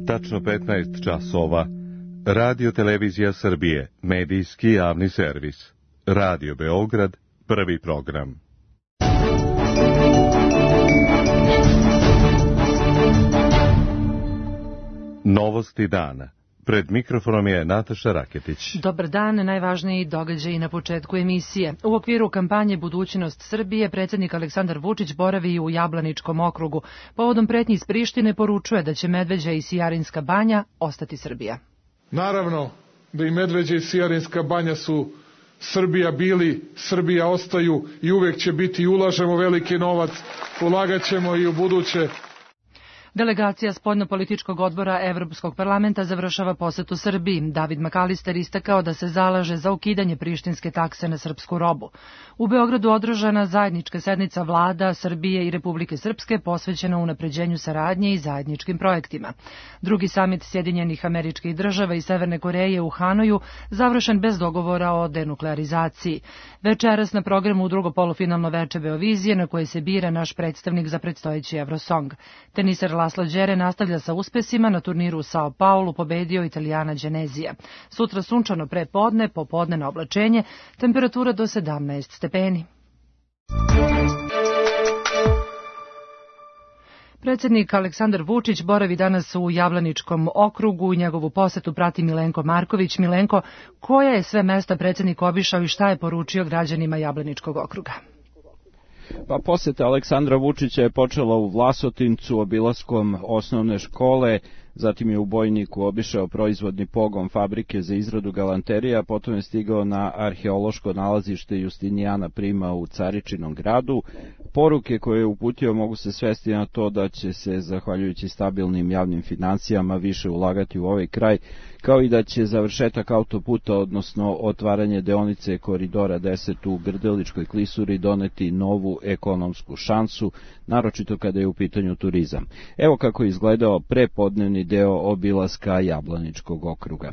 Tačno 15 časova. Radio Televizija Srbije, medijski javni servis. Radio Beograd, prvi program. Novosti dana. Pred mikrofonom je Nataša Raketić. Dobar dan, najvažniji događaji na početku emisije. U okviru kampanje Budućnost Srbije, predsjednik Aleksandar Vučić boravi u Jablaničkom okrugu. Povodom pretnji iz Prištine poručuje da će Medveđa i Sijarinska banja ostati Srbija. Naravno da i Medveđa i Sijarinska banja su Srbija bili, Srbija ostaju i uvek će biti i ulažemo veliki novac, ulagaćemo i u buduće. Delegacija Spoljnopolitičkog odbora Evropskog parlamenta završava posetu Srbiji. David Makalister istakao da se zalaže za ukidanje prištinske takse na srpsku robu. U Beogradu održana zajednička sednica vlada Srbije i Republike Srpske posvećena unapređenju saradnje i zajedničkim projektima. Drugi samit Sjedinjenih Američkih Država i Severne Koreje u Hanoju završen bez dogovora o denuklearizaciji. Večeras na programu drugo polufinalno veče Beovizije na koje se bira naš predstavnik za predstojeći Eurosong. Teniser Laslo Đere nastavlja sa uspesima, na turniru u Sao Paulu pobedio Italijana Genezija. Sutra sunčano pre podne, popodne na oblačenje, temperatura do 17 stepeni. Predsjednik Aleksandar Vučić boravi danas u Jablaničkom okrugu i njegovu posetu prati Milenko Marković. Milenko, koja je sve mesta predsjednik obišao i šta je poručio građanima Jablaničkog okruga? Pa poseta Aleksandra Vučića je počela u Vlasotincu obilaskom osnovne škole, zatim je u Bojniku obišao proizvodni pogon fabrike za izradu galanterija, potom je stigao na arheološko nalazište Justinijana Prima u Caričinom gradu. Poruke koje je uputio mogu se svesti na to da će se, zahvaljujući stabilnim javnim financijama, više ulagati u ovaj kraj, kao i da će završetak autoputa, odnosno otvaranje deonice Koridora 10 u Grdeličkoj klisuri doneti novu ekonomsku šansu, naročito kada je u pitanju turizam. Evo kako je izgledao prepodnevni deo obilaska Jablaničkog okruga.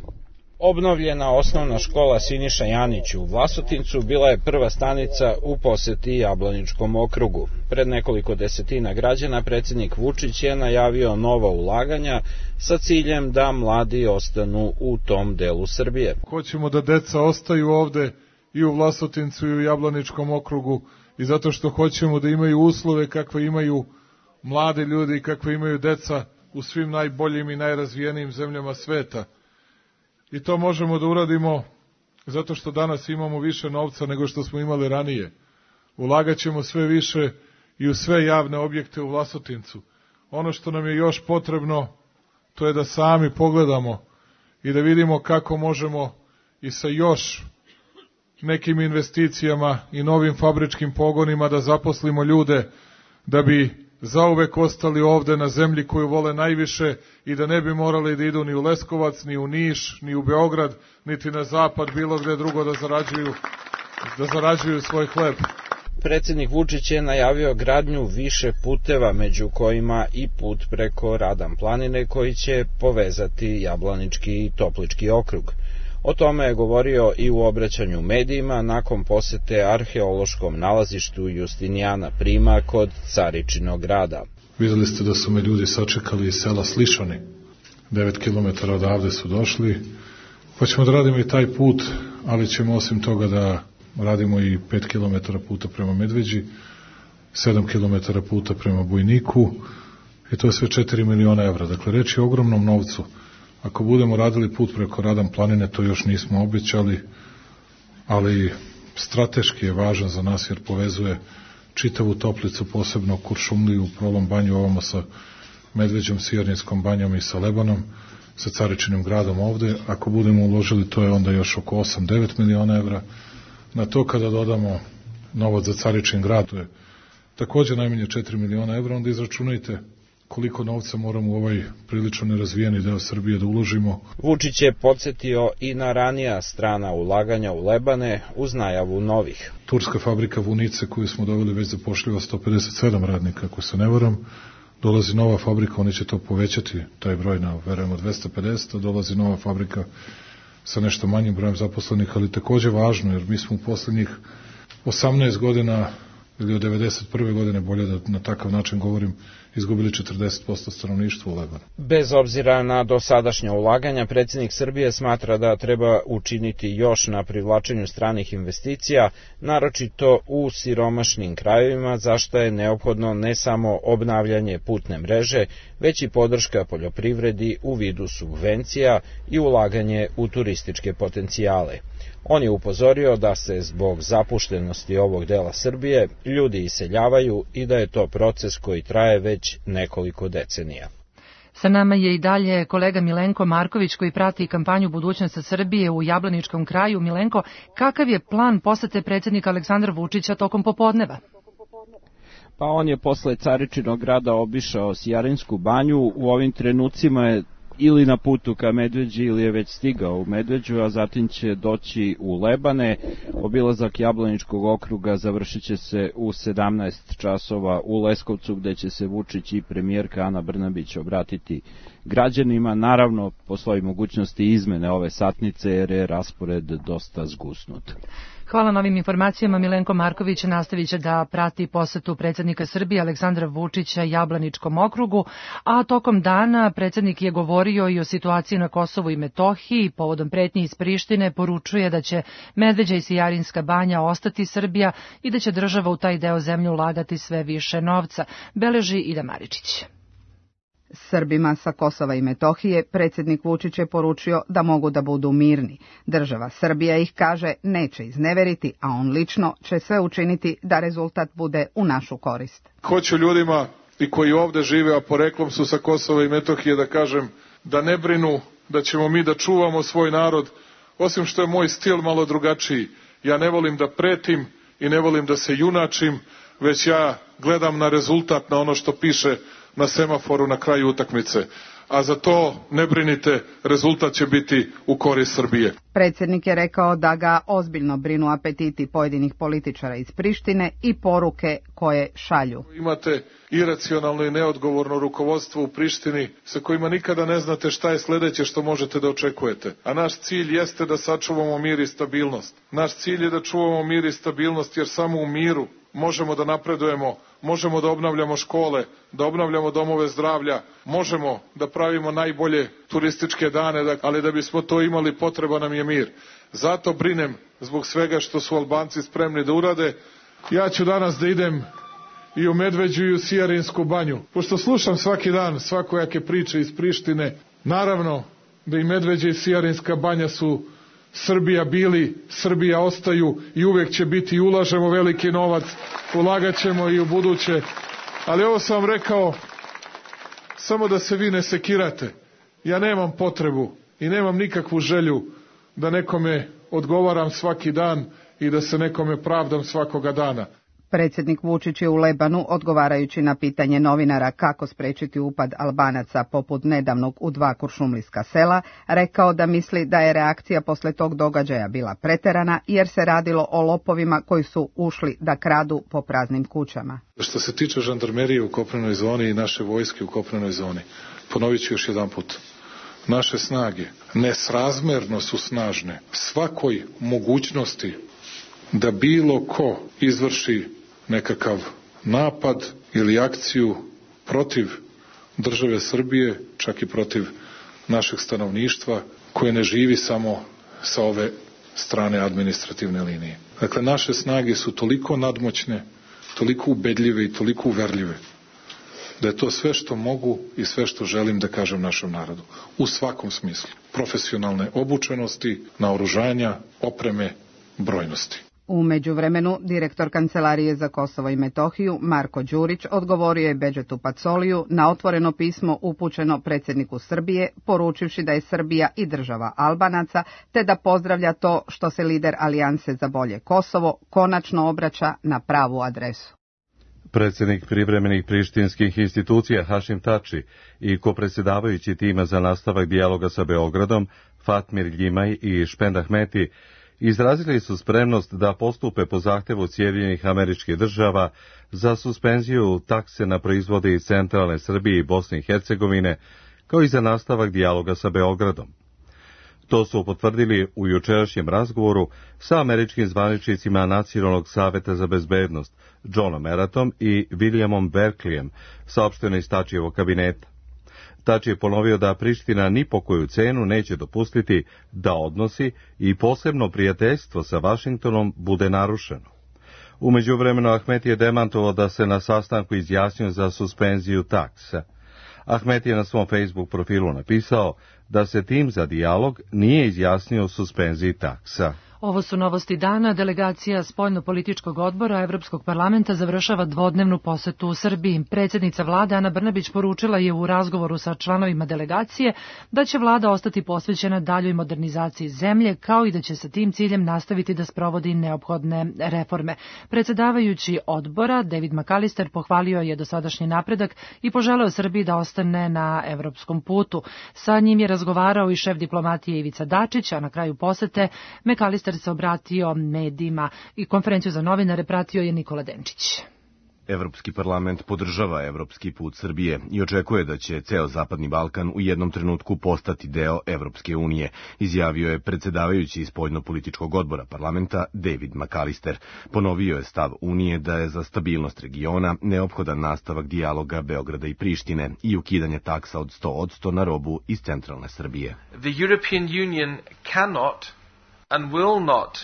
Obnovljena osnovna škola Siniša Janić u Vlasotincu bila je prva stanica u poseti Jablaničkom okrugu. Pred nekoliko desetina građana predsjednik Vučić je najavio nova ulaganja sa ciljem da mladi ostanu u tom delu Srbije. Hoćemo da deca ostaju ovde i u Vlasotincu i u Jablaničkom okrugu i zato što hoćemo da imaju uslove kakve imaju mladi ljudi i kakve imaju deca u svim najboljim i najrazvijenijim zemljama sveta. I to možemo da uradimo zato što danas imamo više novca nego što smo imali ranije. Ulagaćemo sve više i u sve javne objekte u Vlasotincu. Ono što nam je još potrebno, to je da sami pogledamo i da vidimo kako možemo i sa još nekim investicijama i novim fabričkim pogonima da zaposlimo ljude da bi zauvek ostali ovde na zemlji koju vole najviše i da ne bi morali da idu ni u Leskovac, ni u Niš, ni u Beograd, niti na zapad, bilo gde drugo da zarađuju svoj hleb. Predsjednik Vučić je najavio gradnju više puteva, među kojima i put preko Radan planine koji će povezati Jablanički i Toplički okrug. O tome je govorio i u obraćanju medijima nakon posete arheološkom nalazištu Justinijana Prima kod Caričinog grada. Videli ste da su me ljudi sačekali iz sela Slišani. 9 km odavde su došli. Pa ćemo da radimo i taj put, ali ćemo osim toga da radimo i 5 km puta prema Medveđi, 7 km puta prema Bojniku i to je sve 4 miliona evra. Dakle, reč je o ogromnom novcu. Ako budemo radili put preko Radan planine, to još nismo obećali, ali strateški je važan za nas jer povezuje čitavu Toplicu, posebno Kuršumliju, Prolom banju, ovamo sa Medveđom, Sijarinskom banjom i sa Lebanom, sa Caričinim gradom ovde. Ako budemo uložili, to je onda još oko 8-9 miliona evra. Na to kada dodamo novac za Caričin grad, to je takođe najmanje 4 miliona evra, onda izračunajte koliko novca moramo u ovaj prilično nerazvijeni deo Srbije da uložimo. Vučić je podsjetio i na ranija strana ulaganja u Lebane uz najavu novih. Turska fabrika Vunice koju smo doveli već zapošljiva 157 radnika, ako se ne varam. Dolazi nova fabrika, oni će to povećati, taj broj na, verujemo, 250, dolazi nova fabrika sa nešto manjim brojem zaposlenih, ali takođe važno, jer mi smo u poslednjih 18 godina ili od 1991. godine, bolje da na takav način govorim, izgubili 40% stanovništva u Lebanu. Bez obzira na dosadašnja ulaganja, predsjednik Srbije smatra da treba učiniti još na privlačenju stranih investicija, naročito u siromašnim krajevima, za što je neophodno ne samo obnavljanje putne mreže, već i podrška poljoprivredi u vidu subvencija i ulaganje u turističke potencijale. On je upozorio da se zbog zapuštenosti ovog dela Srbije ljudi iseljavaju i da je to proces koji traje već nekoliko decenija. Sa nama je i dalje kolega Milenko Marković koji prati kampanju Budućnost Srbije u Jablaničkom kraju. Milenko, kakav je plan posete predsjednika Aleksandra Vučića tokom popodneva? Pa on je posle Caričinog grada obišao Sjarinsku banju, u ovim trenucima je ili na putu ka Medveđi ili je već stigao u Medveđu, a zatim će doći u Lebane. Obilazak Jablaničkog okruga završit će se u 17 časova u Leskovcu, gde će se Vučić i premijerka Ana Brnabić obratiti građanima. Naravno, postoji mogućnosti izmene ove satnice jer je raspored dosta zgusnut. Hvala na ovim informacijama. Milenko Marković nastavit će da prati posetu predsjednika Srbije Aleksandra Vučića Jablaničkom okrugu, a tokom dana predsjednik je govorio i o situaciji na Kosovu i Metohiji. Povodom pretnji iz Prištine poručuje da će Medveđa i Sijarinska banja ostati Srbija i da će država u taj deo zemlje ulagati sve više novca, beleži Ida Maričić. Srbima sa Kosova i Metohije predsjednik Vučić je poručio da mogu da budu mirni. Država Srbija ih, kaže, neće izneveriti, a on lično će sve učiniti da rezultat bude u našu korist. Hoću ljudima i koji ovde žive, a poreklom su sa Kosova i Metohije, da kažem da ne brinu, da ćemo mi da čuvamo svoj narod, osim što je moj stil malo drugačiji. Ja ne volim da pretim i ne volim da se junačim, već ja gledam na rezultat, na ono što piše na semaforu na kraju utakmice. A za to ne brinite, rezultat će biti u korist Srbije. Predsjednik je rekao da ga ozbiljno brinu apetiti pojedinih političara iz Prištine i poruke koje šalju. Imate iracionalno i neodgovorno rukovodstvo u Prištini sa kojima nikada ne znate šta je sledeće što možete da očekujete. A naš cilj jeste da sačuvamo mir i stabilnost. Naš cilj je da čuvamo mir i stabilnost jer samo u miru možemo da napredujemo, možemo da obnavljamo škole, da obnavljamo domove zdravlja, možemo da pravimo najbolje turističke dane, ali da bismo to imali potreba nam je mir. Zato brinem zbog svega što su Albanci spremni da urade. Ja ću danas da idem i u Medveđu i u Sijarinsku banju. Pošto slušam svaki dan svakojake priče iz Prištine, naravno da i Medveđa i Sijarinska banja su Srbija bili, Srbija ostaju i uvek će biti i ulažemo veliki novac, ulagat ćemo i u buduće. Ali ovo sam vam rekao samo da se vi ne sekirate. Ja nemam potrebu i nemam nikakvu želju da nekome odgovaram svaki dan i da se nekome pravdam svakoga dana. Predsjednik Vučić je u Lebanu, odgovarajući na pitanje novinara kako sprečiti upad Albanaca poput nedavnog u 2 kuršumlijska sela, rekao da misli da je reakcija posle tog događaja bila preterana jer se radilo o lopovima koji su ušli da kradu po praznim kućama. Što se tiče žandarmerije u kopnenoj zoni i naše vojske u kopnenoj zoni, ponovit ću još jedan put. Naše snage nesrazmerno su snažne svakoj mogućnosti da bilo ko izvrši nekakav napad ili akciju protiv države Srbije, čak i protiv našeg stanovništva, koje ne živi samo sa ove strane administrativne linije. Dakle, naše snage su toliko nadmoćne, toliko ubedljive i toliko uverljive, da je to sve što mogu i sve što želim da kažem našem narodu. U svakom smislu. Profesionalne obučenosti, naoružanja, opreme, brojnosti. U međuvremenu, direktor Kancelarije za Kosovo i Metohiju, Marko Đurić, odgovorio je Bedžetu Pacoliju na otvoreno pismo upućeno predsjedniku Srbije, poručivši da je Srbija i država Albanaca, te da pozdravlja to što se lider Alijanse za bolje Kosovo konačno obraća na pravu adresu. Predsjednik privremenih prištinskih institucija Hašim Tači i kopredsjedavajući tima za nastavak dijaloga sa Beogradom, Fatmir Ljimaj i Špend Ahmeti, izrazili su spremnost da postupe po zahtevu Sjedinjenih Američkih Država za suspenziju takse na proizvode iz centralne Srbije i Bosne i Hercegovine, kao i za nastavak dijaloga sa Beogradom. To su potvrdili u jučerašnjem razgovoru sa američkim zvaničnicima Nacionalnog saveta za bezbednost, Johnom Eratom i Williamom Berkleyem, saopšteno iz Tačijevog kabineta. Tači je ponovio da Priština ni po koju cenu neće dopustiti da odnosi i posebno prijateljstvo sa Vašingtonom bude narušeno. U međuvremenu Ahmeti je demantovao da se na sastanku izjasnio za suspenziju taksa. Ahmeti je na svom Facebook profilu napisao da se tim za dijalog nije izjasnio o suspenziji taksa. Ovo su novosti dana. Delegacija Spoljno-političkog odbora Evropskog parlamenta završava dvodnevnu posetu u Srbiji. Predsjednica vlade Ana Brnabić poručila je u razgovoru sa članovima delegacije da će vlada ostati posvećena daljoj modernizaciji zemlje, kao i da će sa tim ciljem nastaviti da sprovodi neophodne reforme. Predsjedavajući odbora David McAllister pohvalio je dosadašnji napredak i poželeo Srbiji da ostane na evropskom putu. Sa njim je razgovarao i šef diplomatije Ivica Dačić, a na kraju posete McAllister se obratio medijima i konferenciju za novinare pratio je Nikola Denčić. Evropski parlament podržava evropski put Srbije i očekuje da će ceo Zapadni Balkan u jednom trenutku postati deo Evropske unije, izjavio je predsjedavajući spoljno-političkog odbora parlamenta David McAllister. Ponovio je stav Unije da je za stabilnost regiona neophodan nastavak dijaloga Beograda i Prištine i ukidanje taksa od 100% na robu iz centralne Srbije. The European Union cannot and will not.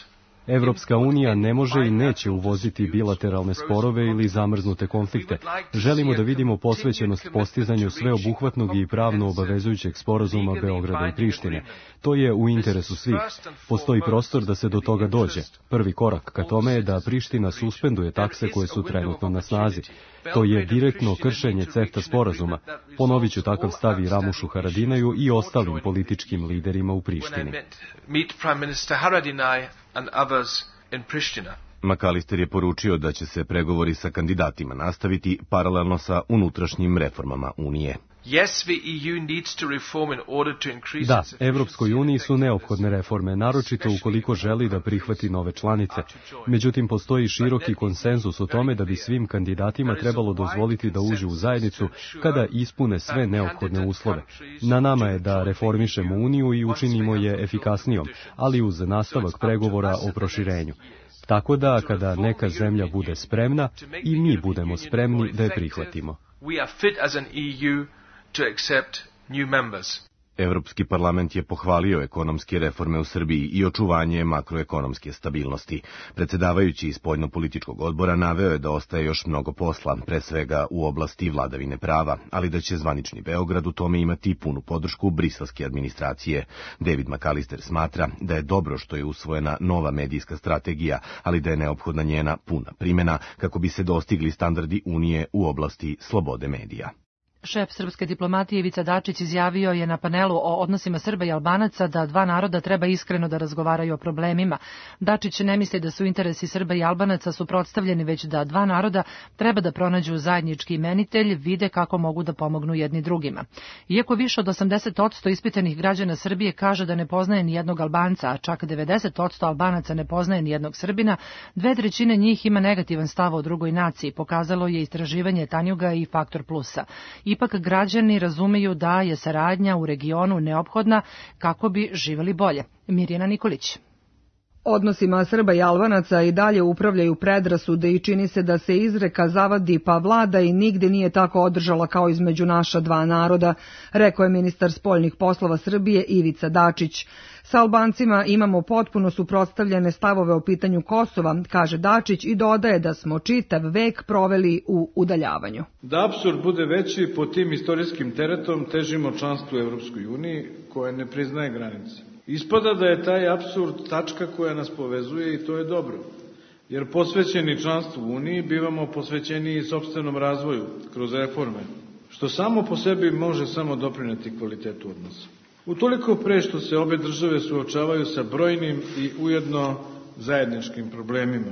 Evropska unija ne može i neće uvoziti bilateralne sporove ili zamrznute konflikte. Želimo da vidimo posvećenost postizanju sveobuhvatnog i pravno obavezujućeg sporazuma Beograda i Prištine. To je u interesu svih. Postoji prostor da se do toga dođe. Prvi korak ka tome je da Priština suspenduje takse koje su trenutno na snazi. To je direktno kršenje CEFTA sporazuma. Ponovit ću takav stav i Ramušu Haradinaju i ostalim političkim liderima u Prištini. McAllister je poručio da će se pregovori sa kandidatima nastaviti paralelno sa unutrašnjim reformama Unije. Da, Evropskoj uniji su neophodne reforme, naročito ukoliko želi da prihvati nove članice. Međutim, postoji široki konsenzus o tome da bi svim kandidatima trebalo dozvoliti da uđu u zajednicu kada ispune sve neophodne uslove. Na nama je da reformišemo Uniju i učinimo je efikasnijom, ali uz nastavak pregovora o proširenju. Tako da, kada neka zemlja bude spremna, i mi budemo spremni da je prihvatimo. Evropski parlament je pohvalio ekonomske reforme u Srbiji i očuvanje makroekonomske stabilnosti. Predsjedavajući spoljno-političkog odbora naveo je da ostaje još mnogo posla, pre svega u oblasti vladavine prava, ali da će zvanični Beograd u tome imati punu podršku briselske administracije. David McAllister smatra da je dobro što je usvojena nova medijska strategija, ali da je neophodna njena puna primjena kako bi se dostigli standardi Unije u oblasti slobode medija. Šef srpske diplomatije Ivica Dačić izjavio je na panelu o odnosima Srba i Albanaca da dva naroda treba iskreno da razgovaraju o problemima. Dačić ne misli da su interesi Srba i Albanaca suprotstavljeni, već da dva naroda treba da pronađu zajednički imenitelj, vide kako mogu da pomognu jedni drugima. Iako više od 80% ispitanih građana Srbije kaže da ne poznaje ni jednog Albanca, a čak 90% Albanaca ne poznaje ni jednog Srbina, 2/3 njih ima negativan stav o drugoj naciji, pokazalo je istraživanje Tanjuga i Faktor Plusa. Ipak građani razumeju da je saradnja u regionu neophodna kako bi živjeli bolje. Mirjana Nikolić. Odnosima Srba i Albanaca i dalje upravljaju predrasude i čini se da se izreka zavadi pa vlada i nigde nije tako održala kao između naša dva naroda, rekao je ministar spoljnih poslova Srbije Ivica Dačić. Sa Albancima imamo potpuno suprotstavljene stavove o pitanju Kosova, kaže Dačić i dodaje da smo čitav vek proveli u udaljavanju. Da apsurd bude veći, pod tim istorijskim teretom težimo članstvu u Evropskoj uniji koja ne priznaje granice. Ispada da je taj apsurd tačka koja nas povezuje i to je dobro, jer posvećeni članstvu u Uniji bivamo posvećeni i sopstvenom razvoju kroz reforme, što samo po sebi može samo doprineti kvalitetu odnosa. Utoliko pre što se obe države suočavaju sa brojnim i ujedno zajedničkim problemima,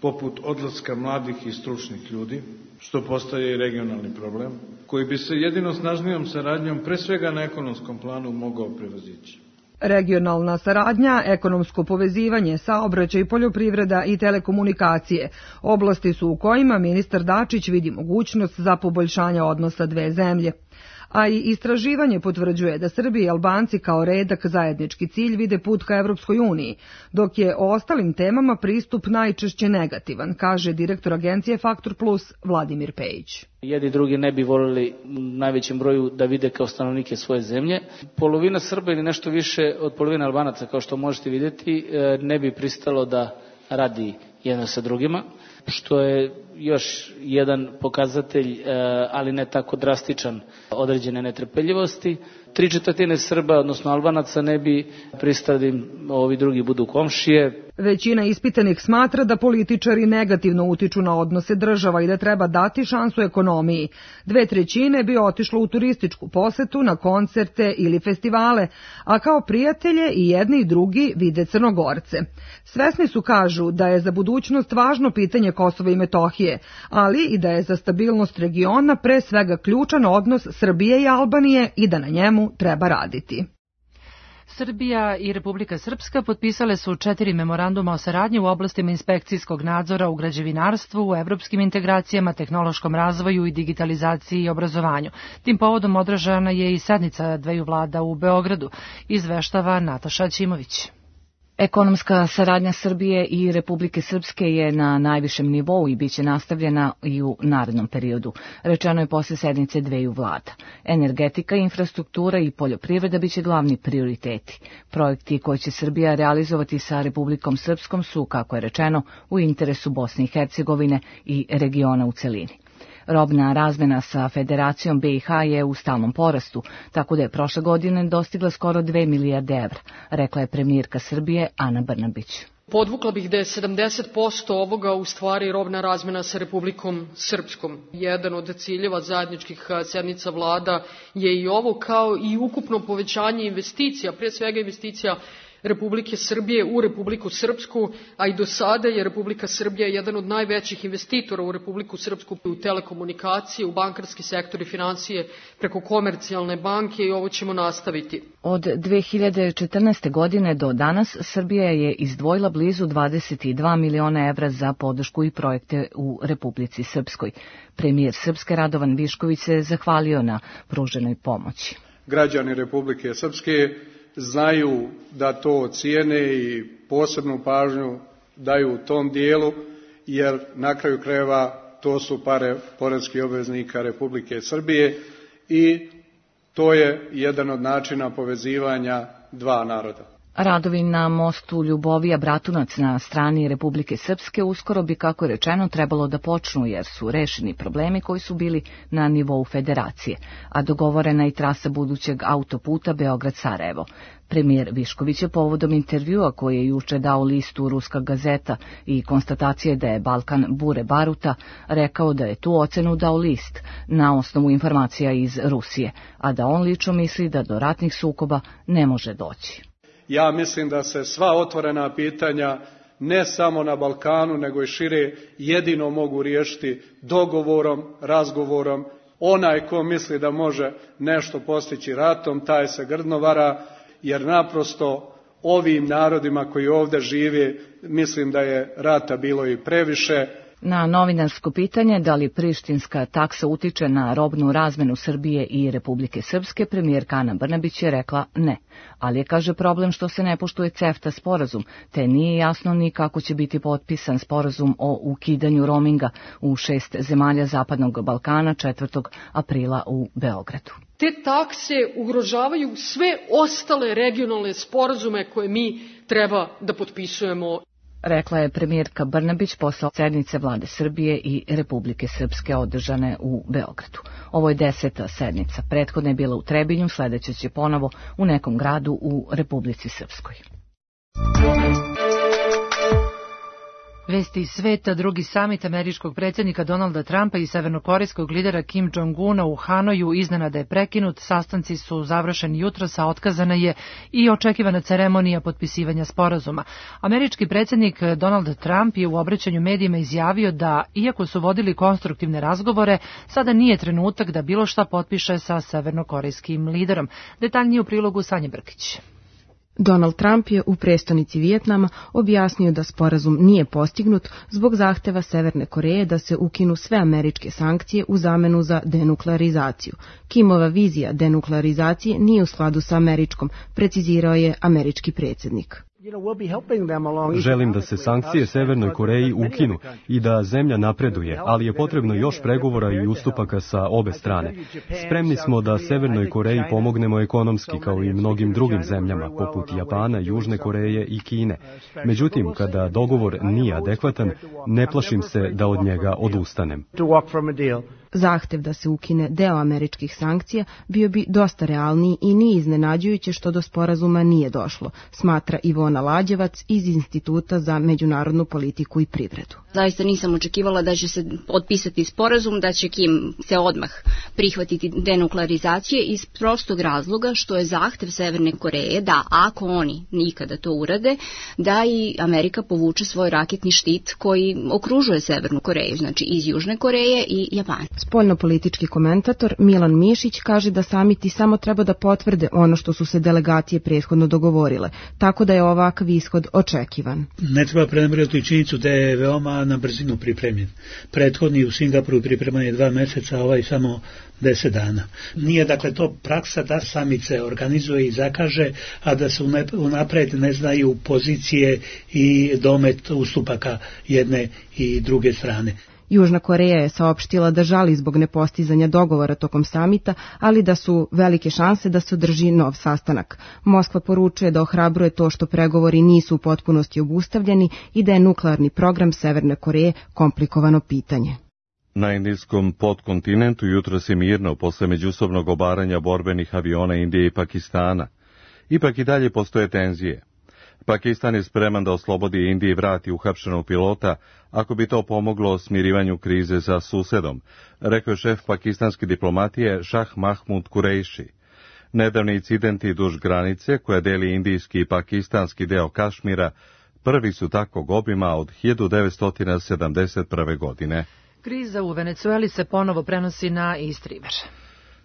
poput odlaska mladih i stručnih ljudi, što postaje i regionalni problem, koji bi se jedino snažnijom saradnjom, pre svega na ekonomskom planu, mogao prevazići. Regionalna saradnja, ekonomsko povezivanje, saobraćaj, poljoprivreda i telekomunikacije oblasti su u kojima ministar Dačić vidi mogućnost za poboljšanje odnosa dve zemlje. a i istraživanje potvrđuje da Srbi i Albanci kao redak zajednički cilj vide put ka Evropskoj uniji, dok je o ostalim temama pristup najčešće negativan, kaže direktor agencije Faktor Plus Vladimir Pejić. Jedni drugi ne bi voljeli u najvećem broju da vide kao stanovnike svoje zemlje. Polovina Srba ili nešto više od polovine Albanaca, kao što možete vidjeti, ne bi pristalo da radi jedno sa drugima, što je još jedan pokazatelj, ali ne tako drastičan, određene netrpeljivosti. 3/4 Srba, odnosno Albanaca, ne bi pristali da ovi drugi budu komšije. Većina ispitanih smatra da političari negativno utiču na odnose država i da treba dati šansu ekonomiji. 2/3 bi otišlo u turističku posetu, na koncerte ili festivale, a kao prijatelje i jedni i drugi vide Crnogorce. Svesni su, kažu, da je za budućnost važno pitanje Kosova i Metohije, ali i da je za stabilnost regiona pre svega ključan odnos Srbije i Albanije i da na njemu treba raditi. Srbija i Republika Srpska potpisale su 4 memoranduma o saradnji u oblastima inspekcijskog nadzora u građevinarstvu, u evropskim integracijama, tehnološkom razvoju i digitalizaciji i obrazovanju. Tim povodom održana je i sednica dveju vlada u Beogradu, izveštava Nataša Ćimović. Ekonomska saradnja Srbije i Republike Srpske je na najvišem nivou i biće nastavljena i u narednom periodu, rečeno je posle sednice dveju vlada. Energetika, infrastruktura i poljoprivreda biće glavni prioriteti. Projekti koje će Srbija realizovati sa Republikom Srpskom su, kako je rečeno, u interesu Bosne i Hercegovine i regiona u celini. Robna razmena sa Federacijom BiH je u stalnom porastu, tako da je prošle godine dostigla skoro 2 milijarde evra, rekla je premijerka Srbije Ana Brnabić. Podvukla bih da je 70% ovoga u stvari robna razmena sa Republikom Srpskom. Jedan od ciljeva zajedničkih sednica vlada je i ovo, kao i ukupno povećanje investicija, prije svega investicija Republike Srbije u Republiku Srpsku, a i do sada je Republika Srbija jedan od najvećih investitora u Republiku Srpsku u telekomunikacije, u bankarski sektor i financije preko Komercijalne banke i ovo ćemo nastaviti. Od 2014. godine do danas Srbija je izdvojila blizu 22 miliona evra za podršku i projekte u Republici Srpskoj. Premijer Srpske Radovan Višković se zahvalio na pruženoj pomoći. Građani Republike Srpske znaju da to cijene i posebnu pažnju daju u tom dijelu, jer na kraju krajeva to su pare poreskih obveznika Republike Srbije i to je jedan od načina povezivanja dva naroda. Radovi na mostu Ljubovija-Bratunac na strani Republike Srpske uskoro bi, kako je rečeno, trebalo da počnu, jer su rešeni problemi koji su bili na nivou federacije, a dogovorena i trasa budućeg autoputa Beograd-Sarajevo. Premijer Višković je povodom intervjua koji je juče dao listu Ruska gazeta i konstatacije da je Balkan bure baruta, rekao da je tu ocenu dao list na osnovu informacija iz Rusije, a da on lično misli da do ratnih sukoba ne može doći. Ja mislim da se sva otvorena pitanja, ne samo na Balkanu, nego i šire, jedino mogu riješiti dogovorom, razgovorom. Onaj ko misli da može nešto postići ratom, taj se grdno vara, jer naprosto ovim narodima koji ovdje žive, mislim da je rata bilo i previše. Na novinarsko pitanje da li prištinska taksa utiče na robnu razmenu Srbije i Republike Srpske, premijerka Ana Brnabić je rekla ne, ali je, kaže, problem što se ne poštuje CEFTA sporazum, te nije jasno ni kako će biti potpisan sporazum o ukidanju roaminga u 6 zemalja Zapadnog Balkana 4. aprila u Beogradu. Te takse ugrožavaju sve ostale regionalne sporazume koje mi treba da potpisujemo. Rekla je premijerka Brnabić posle sednice vlade Srbije i Republike Srpske održane u Beogradu. Ovo je 10. sednica. Prethodna je bila u Trebinju, sledeća će ponovo u nekom gradu u Republici Srpskoj. Vesti iz sveta, drugi samit američkog predsjednika Donalda Trumpa i severnokorejskog lidera Kim Jong-una u Hanoju iznenada je prekinut, sastanci su završeni jutros, a otkazana je i očekivana ceremonija potpisivanja sporazuma. Američki predsjednik Donald Trump je u obraćanju medijima izjavio da, iako su vodili konstruktivne razgovore, sada nije trenutak da bilo šta potpiše sa severnokorejskim liderom. Detaljnije u prilogu Sanje Brkić. Donald Trump je u prestonici Vijetnama objasnio da sporazum nije postignut zbog zahteva Severne Koreje da se ukinu sve američke sankcije u zamenu za denuklearizaciju. Kimova vizija denuklearizacije nije u skladu sa američkom, precizirao je američki predsjednik. Želim da se sankcije Severnoj Koreji ukinu i da zemlja napreduje, ali je potrebno još pregovora i ustupaka sa obe strane. Spremni smo da Severnoj Koreji pomognemo ekonomski kao i mnogim drugim zemljama, poput Japana, Južne Koreje i Kine. Međutim, kada dogovor nije adekvatan, ne plašim se da od njega odustanem. Zahtev da se ukine deo američkih sankcija bio bi dosta realniji i nije iznenađujuće što do sporazuma nije došlo, smatra Ivona Lađevac iz Instituta za međunarodnu politiku i privredu. Zaista nisam očekivala da će se potpisati sporazum, da će Kim se odmah prihvatiti denuklearizacije iz prostog razloga što je zahtev Severne Koreje da ako oni nikada to urade, da i Amerika povuče svoj raketni štit koji okružuje Severnu Koreju, znači iz Južne Koreje i Japana. Spoljnopolitički komentator Milan Mišić kaže da samiti samo treba da potvrde ono što su se delegacije prethodno dogovorile, tako da je ovakav ishod očekivan. Ne treba prenabrati činjenicu da je veoma na brzinu pripremljen. Prethodni u Singapuru pripreman je 2 meseca, ovaj samo 10 dana. Nije dakle to praksa da samit se organizuje i zakaže, a da se unapred ne znaju pozicije i domet ustupaka jedne i druge strane. Južna Koreja je saopštila da žali zbog nepostizanja dogovora tokom samita, ali da su velike šanse da se održi nov sastanak. Moskva poručuje da ohrabruje to što pregovori nisu u potpunosti obustavljeni i da je nuklearni program Severne Koreje komplikovano pitanje. Na indijskom podkontinentu jutros je mirno posle međusobnog obaranja borbenih aviona Indije i Pakistana. Ipak i dalje postoje tenzije. Pakistan je spreman da oslobodi Indiji i vrati uhapšenog pilota ako bi to pomoglo smirivanju krize sa susedom, rekao je šef pakistanske diplomatije Šah Mahmud Kureishi. Nedavni incidenti duž granice koja deli indijski i pakistanski deo Kašmira prvi su takvog obima od 1971. godine. Kriza u Venecueli se ponovo prenosi na East River.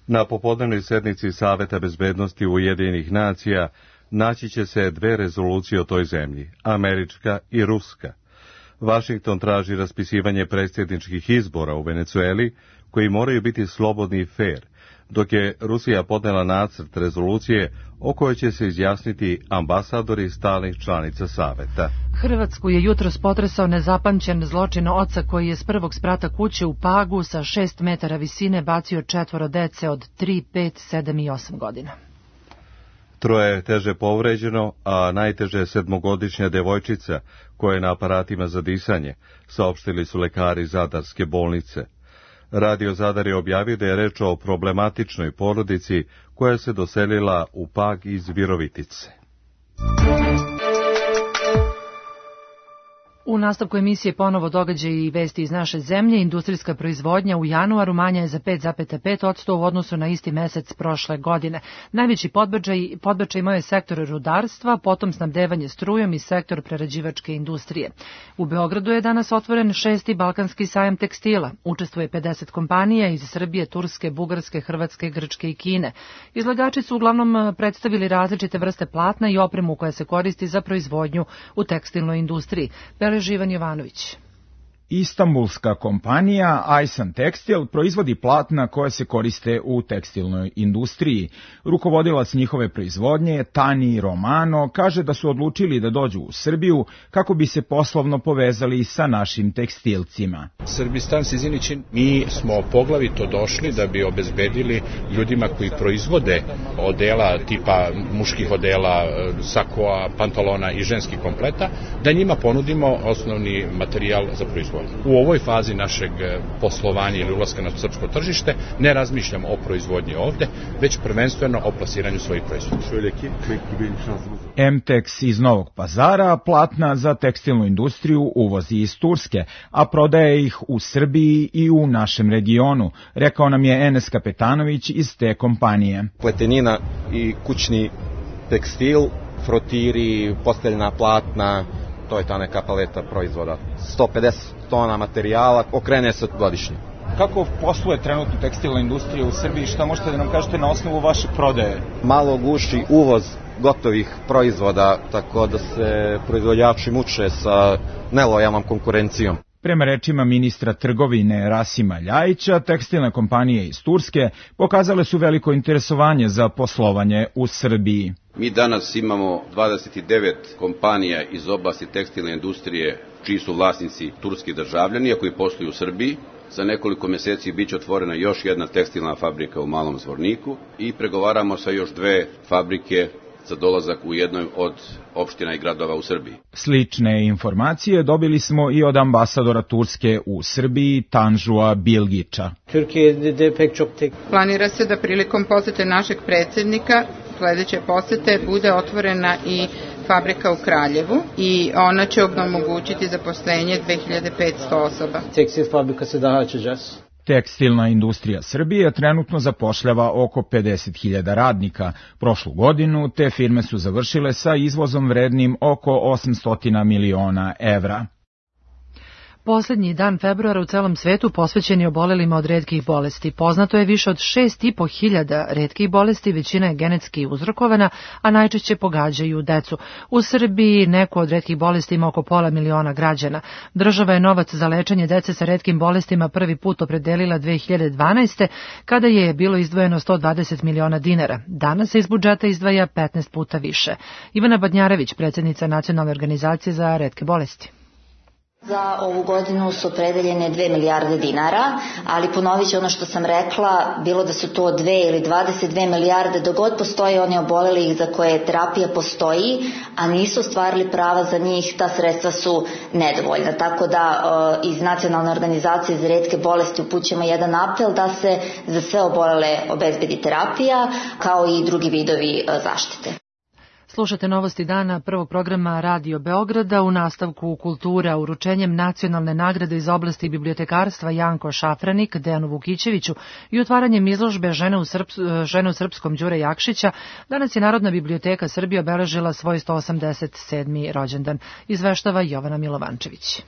Na popodnevnoj sednici Saveta bezbednosti Ujedinjenih nacija naći će se 2 rezolucije o toj zemlji, američka i ruska. Vašington traži raspisivanje predsjedničkih izbora u Venecueli, koji moraju biti slobodni i fair, dok je Rusija podnela nacrt rezolucije o kojoj će se izjasniti ambasadori stalnih članica Saveta. Hrvatsku je jutros potresao nezapamćen zločin oca koji je s prvog sprata kuće u Pagu sa 6 metara visine bacio 4 dece od 3, 5, 7 i 8 godina. 3 je teže povređeno, a najteže je 7-godišnja devojčica koja je na aparatima za disanje, saopštili su lekari Zadarske bolnice. Radio Zadar je objavio da je reč o problematičnoj porodici koja se doselila u Pag iz Virovitice. U nastavku emisije ponovo događaji i vesti iz naše zemlje. Industrijska proizvodnja u januaru manja je za 5,5% u odnosu na isti mesec prošle godine. Najveći podbačaj imao je sektor rudarstva, potom snabdevanje strujom i sektor prerađivačke industrije. U Beogradu je danas otvoren 6. Balkanski sajam tekstila. Učestvuje 50 kompanija iz Srbije, Turske, Bugarske, Hrvatske, Grčke i Kine. Izlagači su uglavnom predstavili različite vrste platna i opremu koja se koristi za proizvodnju u tekstilnoj industriji. Živan Jovanović. Istanbulska kompanija Aysan Tekstil proizvodi platna koje se koriste u tekstilnoj industriji. Rukovodilac njihove proizvodnje, Tani Romano, kaže da su odlučili da dođu u Srbiju kako bi se poslovno povezali sa našim tekstilcima. Srbistan Sizinićin, mi smo poglavito došli da bi obezbedili ljudima koji proizvode odela tipa muških odela, sakoa, pantalona i ženskih kompleta, da njima ponudimo osnovni materijal za proizvodnju. U ovoj fazi našeg poslovanja ili ulaska na srpsko tržište ne razmišljamo o proizvodnji ovde, već prvenstveno o plasiranju svojih proizvoda. MTEX iz Novog Pazara platna za tekstilnu industriju uvozi iz Turske, a prodaje ih u Srbiji i u našem regionu, rekao nam je Enes Kapetanović iz te kompanije. Pletenina i kućni tekstil, frotiri, posteljna platna, to je ta neka paleta proizvoda. 150 tona materijala, okrene se godišnje. Kako posluje trenutno tekstilna industrija u Srbiji? Šta možete da nam kažete na osnovu vaše prodaje? Malo guši uvoz gotovih proizvoda, tako da se proizvođači muče sa nelojalnom konkurencijom. Prema rečima ministra trgovine Rasima Ljajića, tekstilne kompanije iz Turske pokazale su veliko interesovanje za poslovanje u Srbiji. Mi danas imamo 29 kompanija iz oblasti tekstilne industrije čiji su vlasnici turski državljani, a koji posluju u Srbiji. Za nekoliko meseci biće otvorena još jedna tekstilna fabrika u Malom Zvorniku i pregovaramo sa još 2 fabrike za dolazak u jednoj od opština i gradova u Srbiji. Slične informacije dobili smo i od ambasadora Turske u Srbiji, Tanžua Bilgića. Planira se da prilikom posete našeg predsjednika sledeće posete bude otvorena i fabrika u Kraljevu i ona će omogućiti zaposlenje 2500 osoba. Tekstilna industrija Srbije trenutno zapošljava oko 50.000 radnika. Prošlu godinu te firme su završile sa izvozom vrednim oko 800 miliona evra. Poslednji dan februara u celom svetu posvećen je obolelima od retkih bolesti. Poznato je više od 6.500 retkih bolesti, većina je genetski uzrokovana, a najčešće pogađaju decu. U Srbiji neku od retkih bolesti ima oko 500.000 građana. Država je novac za lečenje dece sa retkim bolestima prvi put opredelila 2012. kada je bilo izdvojeno 120 miliona dinara. Danas se iz budžeta izdvaja 15 puta više. Ivana Badnjarević, predsjednica Nacionalne organizacije za retke bolesti. Za ovu godinu su opredeljene 2 milijarde dinara, ali ponovit ću ono što sam rekla, bilo da su to 2 ili 22 milijarde, dok god postoje oni oboleli za koje terapija postoji, a nisu ostvarili prava za njih, ta sredstva su nedovoljna. Tako da iz Nacionalne organizacije za retke bolesti upućujemo jedan apel da se za sve obolele obezbedi terapija, kao i drugi vidovi zaštite. Slušate novosti dana prvog programa Radio Beograda. U nastavku kultura uručenjem nacionalne nagrade iz oblasti bibliotekarstva Janko Šafranik Dejanu Vukićeviću i otvaranjem izložbe Žene u srpskom Đure Jakšića, danas je Narodna biblioteka Srbije obeležila svoj 187. rođendan. Izveštava Jovana Milovančević.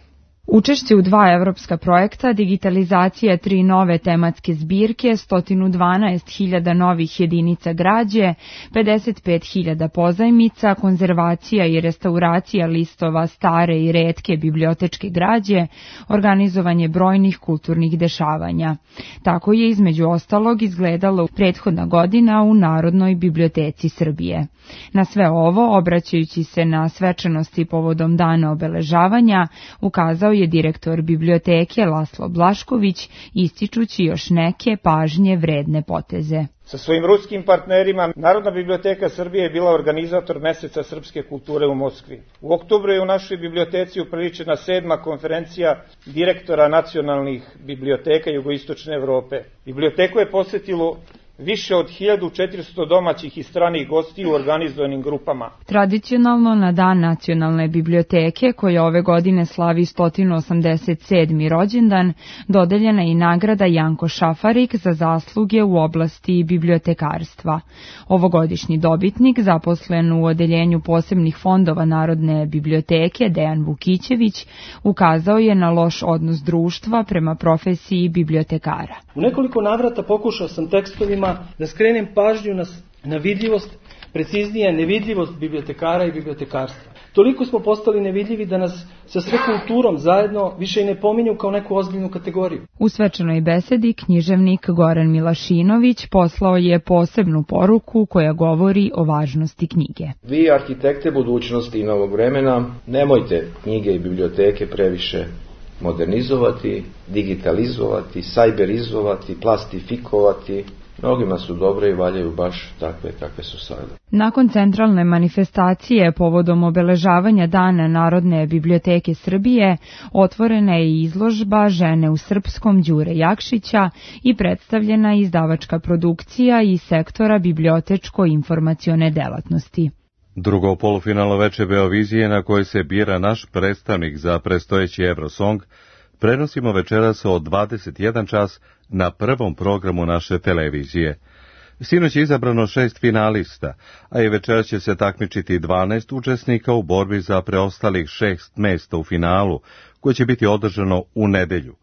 Učešće u 2 evropska projekta, digitalizacija 3 nove tematske zbirke, 112.000 novih jedinica građe, 55.000 pozajmica, konzervacija i restauracija listova stare i retke bibliotečke građe, organizovanje brojnih kulturnih dešavanja. Tako je između ostalog izgledalo prethodna godina u Narodnoj biblioteci Srbije. Na sve ovo, obraćajući se na svečanosti povodom dana obeležavanja, ukazao je direktor biblioteke Laslo Blašković, ističući još neke pažnje vredne poteze. Sa svojim ruskim partnerima Narodna biblioteka Srbije je bila organizator Meseca srpske kulture u Moskvi. U oktobru je u našoj biblioteci upriličena 7. konferencija direktora nacionalnih biblioteka Jugoistočne Evrope. Biblioteku je posetilo više od 1400 domaćih i stranih gostiju u organizovanim grupama. Tradicionalno na Dan nacionalne biblioteke, koja ove godine slavi 187. rođendan, dodeljena je i nagrada Janko Šafarik za zasluge u oblasti bibliotekarstva. Ovogodišnji dobitnik, zaposlen u odeljenju posebnih fondova Narodne biblioteke, Dejan Vukićević, ukazao je na loš odnos društva prema profesiji bibliotekara. U nekoliko navrata pokušao sam tekstovima da skrenem pažnju na vidljivost, preciznije nevidljivost bibliotekara i bibliotekarstva. Toliko smo postali nevidljivi da nas sa sve kulturom zajedno više i ne pominju kao neku ozbiljnu kategoriju. U svečanoj besedi književnik Goran Milašinović poslao je posebnu poruku koja govori o važnosti knjige. Vi, arhitekte budućnosti i novog vremena, nemojte knjige i biblioteke previše modernizovati, digitalizovati, sajberizovati, plastifikovati. Mnogima su dobre i valjaju baš takve kakve su sada. Nakon centralne manifestacije povodom obeležavanja Dana Narodne biblioteke Srbije, otvorena je izložba Žene u srpskom Đure Jakšića i predstavljena izdavačka produkcija iz sektora bibliotečko-informacione delatnosti. Drugo polufinalno veče Beovizije, na kojoj se bira naš predstavnik za predstojeći Eurosong, prenosimo večeras od 21 čas na prvom programu naše televizije. Sinoć je izabrano 6 finalista, a i večeras će se takmičiti 12 učesnika u borbi za preostalih 6 mesta u finalu, koje će biti održano u nedelju.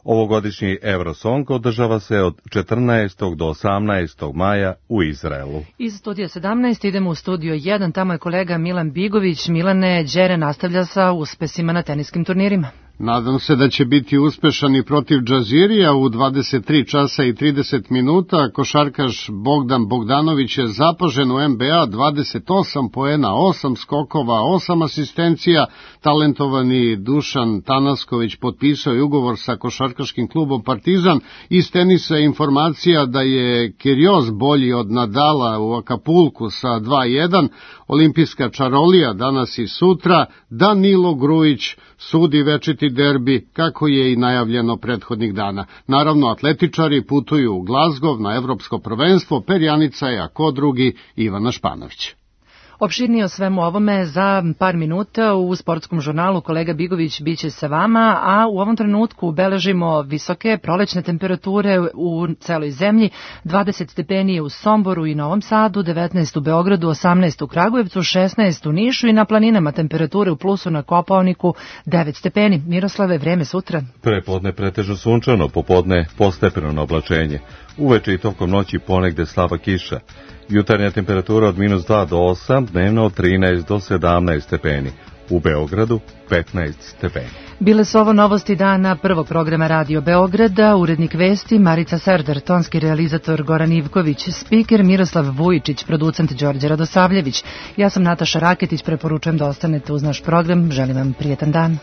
Ovogodišnji Eurosong održava se od 14. do 18. maja u Izraelu. Iz studija 17 idemo u studio 1, tamo je kolega Milan Bigović. Milane, Đere nastavlja sa uspesima na teniskim turnirima. Nadam se da će biti uspešan i protiv Džazirija u 23 časa i 30 minuta. Košarkaš Bogdan Bogdanović je zapažen u NBA, 28 poena, 8 skokova, 8 asistencija. Talentovani Dušan Tanasković potpisao je ugovor sa košarkaškim klubom Partizan. Iz tenisa je informacija da je Kyrgios bolji od Nadala u Akapulku sa 2:1. Olimpijska čarolija danas i sutra. Danilo Grujić sudi večiti derbi, kako je i najavljeno prethodnih dana. Naravno, atletičari putuju u Glazgov na evropsko prvenstvo, perjanica je, a ko drugi, Ivana Španović. Opširnije o svemu ovome za par minuta u sportskom žurnalu. Kolega Bigović biće sa vama, a u ovom trenutku beležimo visoke prolećne temperature u celoj zemlji. 20 stepeni u Somboru i Novom Sadu, 19 u Beogradu, 18 u Kragujevcu, 16 u Nišu i na planinama temperature u plusu na Kopaoniku 9 stepeni. Miroslave, vreme sutra? Prepodne pretežno sunčano, popodne postepeno oblačenje. Uveče i tokom noći ponegde slaba kiša. Jutarnja temperatura od -2 do 8, dnevno od 13 do 17 stepeni. U Beogradu 15 stepeni. Bile su ovo novosti dana prvog programa Radio Beograda, urednik vesti Marica Serdar, tonski realizator Goran Ivković, spiker Miroslav Vujičić, producent Đorđe Radosavljević. Ja sam Nataša Raketić, preporučujem da ostanete uz naš program, želim vam prijetan dan.